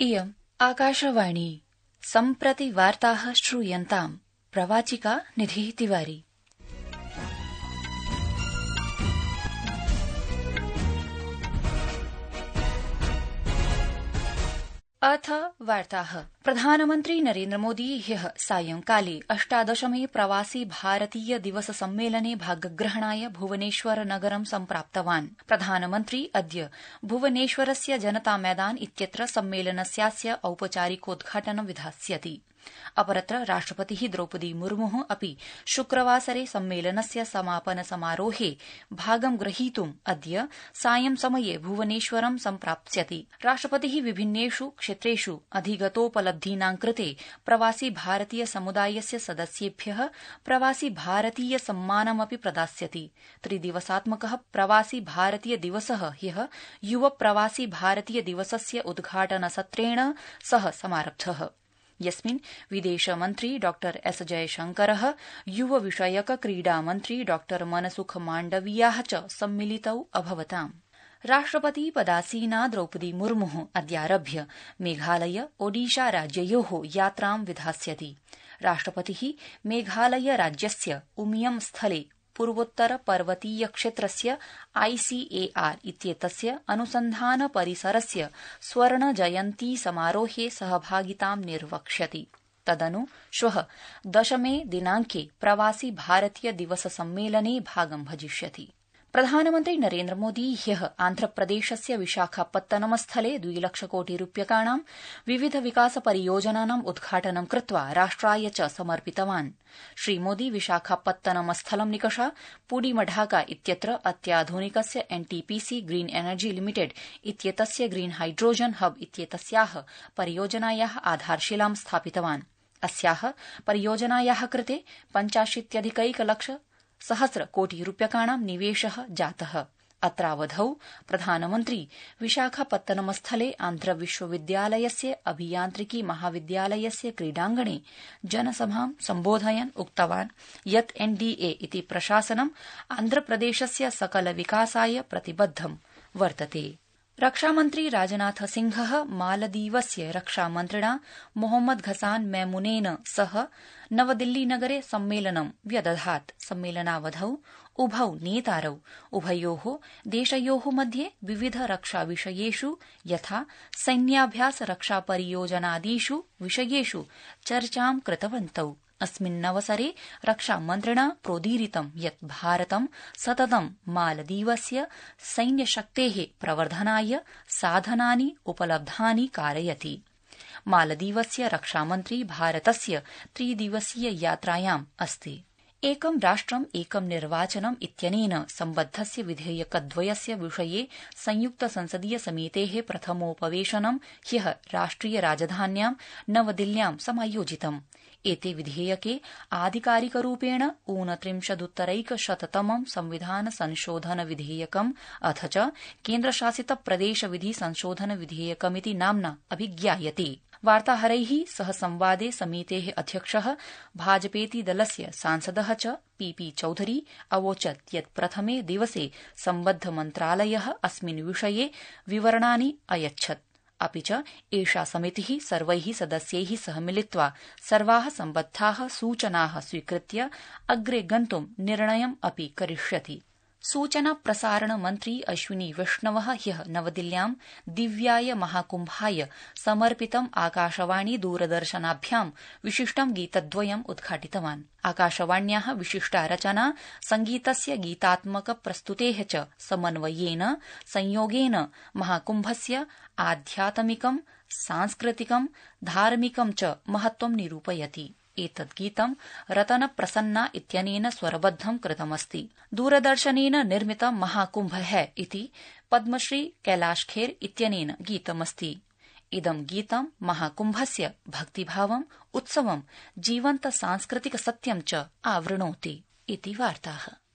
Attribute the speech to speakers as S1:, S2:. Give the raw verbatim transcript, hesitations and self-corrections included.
S1: इयम् आकाशवाणी सम्प्रति वार्ताः श्रूयन्ताम् प्रवाचिका निधिः तिवारी। अथ वार्ताः। प्रधानमन्त्री नरेन्द्रमोदी ह्यः सायंकाले अष्टादशमे प्रवासी भारतीय दिवस सम्मेलने भागग्रहणाय भुवनेश्वर नगरं सम्प्राप्तवान्। प्रधानमन्त्री अद्य भुवनेश्वरस्य जनता मैदान इत्यत्र सम्मेलनस्यास्य औपचारिकोद्घाटनं विधास्यति। अपरत्र राष्ट्रपतिः द्रौपदी मुर्मुः अपि शुक्रवासरे सम्मेलनस्य समापन समारोहे भागं ग्रहीतुम् अद्य सायं समये भुवनेश्वरं सम्प्राप्स्यति। राष्ट्रपतिः विभिन्नेषु क्षेत्रेषु अधिगतोपलब्धीनां कृते प्रवासी भारतीय समुदायस्य सदस्येभ्यः प्रवासी भारतीय सम्मानमपि प्रदास्यति। त्रिदिवसात्मकः प्रवासी भारतीय दिवसः ह्यः युव प्रवासी भारतीय दिवसस्य उद्घाटनसत्रेण सह समारब्धः, यस्मिन् विदेशमन्त्री डॉ एस जयशंकरः, युव विषयक क्रीडामन्त्री डॉ मनसुख माण्डवीयाः च सम्मिलितौ अभवताम्। राष्ट्रपति पदासीना द्रौपदी मुर्मुः अद्यारभ्य मेघालय ओडिशा राज्ययोः यात्रां विधास्यति। राष्ट्रपतिः मेघालय राज्यस्य उमियम स्थले पूर्वोत्तर पर्वतीय क्षेत्रस्य आईसीएआर इत्येतस्य अनुसन्धान परिसरस्य स्वर्ण जयन्ती समारोहे सहभागितां निर्वक्ष्यति। तदनु श्वः दशमे दिनांके प्रवासी भारतीय दिवस सम्मेलने भागं भजिष्यति। प्रधानमन्त्री नरेन्द्रमोदी ह्यः आन्ध्रप्रदेशस्य विशाखापत्तनमस्थले द्विलक्षकोटिरूप्यकाणां विविध विकास परियोजनानाम् उद्घाटनं कृत्वा राष्ट्राय च समर्पितवान्। श्रीमोदी विशाखापत्तनमस्थलं निकषा पुडीमढाका इत्यत्र अत्याधुनिकस्य एनटीपीसी ग्रीन एनर्जी लिमिटेड इत्येतस्य ग्रीन हाइड्रोजन हब इत्येतस्याः परियोजनायाः आधारशिलां स्थापितवान्। अस्याः परियोजनायाः कृते पञ्चाशीत्यधिकैकलक्ष सहस्र कोटि रूप्यकाणां निवेशः जातः। अत्रावधौ प्रधानमन्त्री विशाखापत्तनमस्थले आन्ध्र विश्वविद्यालयस्य अभियान्त्रिकी महाविद्यालयस्य क्रीडाङ्गणे जनसभां सम्बोधयन् उक्तवान् यत् एनडीए इति प्रशासनं आन्ध्रप्रदेशस्य सकल विकासाय प्रतिबद्धं वर्तते। रक्षामन्त्री राजनाथ सिंहः मालदीवस्य रक्षामन्त्रिणा मोहम्मद घसान मैमुनेन सह नवदिल्लीनगरे सम्मेलनं व्यदधात्। सम्मेलनावधौ उभौ नेतारौ उभयोः देशयोः मध्ये विविध रक्षाविषयेषु यथा सैन्याभ्यास रक्षापरियोजनादिषु विषयेषु चर्चां कृतवन्तौ। अस्मिन्नवसरे रक्षामन्त्रिणा प्रोदीरितं यत् भारतं सततं मालदीवस्य सैन्यशक्तेः प्रवर्धनाय साधनानि उपलब्धानि कारयति। मालदीवस्य रक्षामन्त्री भारतस्य त्रिदिवसीय यात्रायाम् अस्ति। एकं राष्ट्रम् एकं निर्वाचनम् इत्यनेन सम्बद्धस्य विधेयकद्वयस्य विषये संयुक्त संसदीय समितेः प्रथमोपवेशनं ह्यः राष्ट्रिय राजधान्यां नवदिल्ल्यां समायोजितम्। एते विधेयके आधिकारिकरूपेण ऊनत्रिंशदुत्तरैकशततमं संविधान संशोधन विधेयकम् अथ च केन्द्रशासित प्रदेश विधि संशोधन विधेयकमिति नाम्ना अभिज्ञायते। वार्ताहरैः सह संवादे समितेः अध्यक्षः भाजपेति दलस्य सांसदः च पीपी चौधरी अवोचत् यत् प्रथमे दिवसे सम्बद्ध मन्त्रालयः अस्मिन् विषये विवरणानि अयच्छत्। अपि च एषा समितिः सर्वैः सदस्यैः सह मिलित्वा सर्वाः सम्बद्धाः सूचनाः स्वीकृत्य अग्रे गन्तुं निर्णयम् अपि करिष्यति। सूचना प्रसारण मन्त्री अश्विनी वैष्णवः ह्यः नवदिल्ल्यां दिव्याय महाकुम्भाय समर्पितम् आकाशवाणी दूरदर्शनाभ्यां विशिष्टं गीतद्वयम् उद्घाटितवान्। आकाशवाण्याः विशिष्टा रचना संगीतस्य गीतात्मक प्रस्तुतेः च समन्वयेन संयोगेन महाकुम्भस्य आध्यात्मिकं सांस्कृतिकं धार्मिकं च महत्त्वं निरूपयति। एतद् गीतं रतन प्रसन्ना इत्यनेन स्वरबद्धं कृतमस्ति। दूरदर्शनेन निर्मितं महाकुम्भ है इति पद्मश्री कैलाश खेर इत्यनेन गीतमस्ति। इदं गीतं महाकुम्भस्य भक्तिभावम् उत्सवं जीवन्त सांस्कृतिक सत्यं च आवृणोति इति वार्ताः।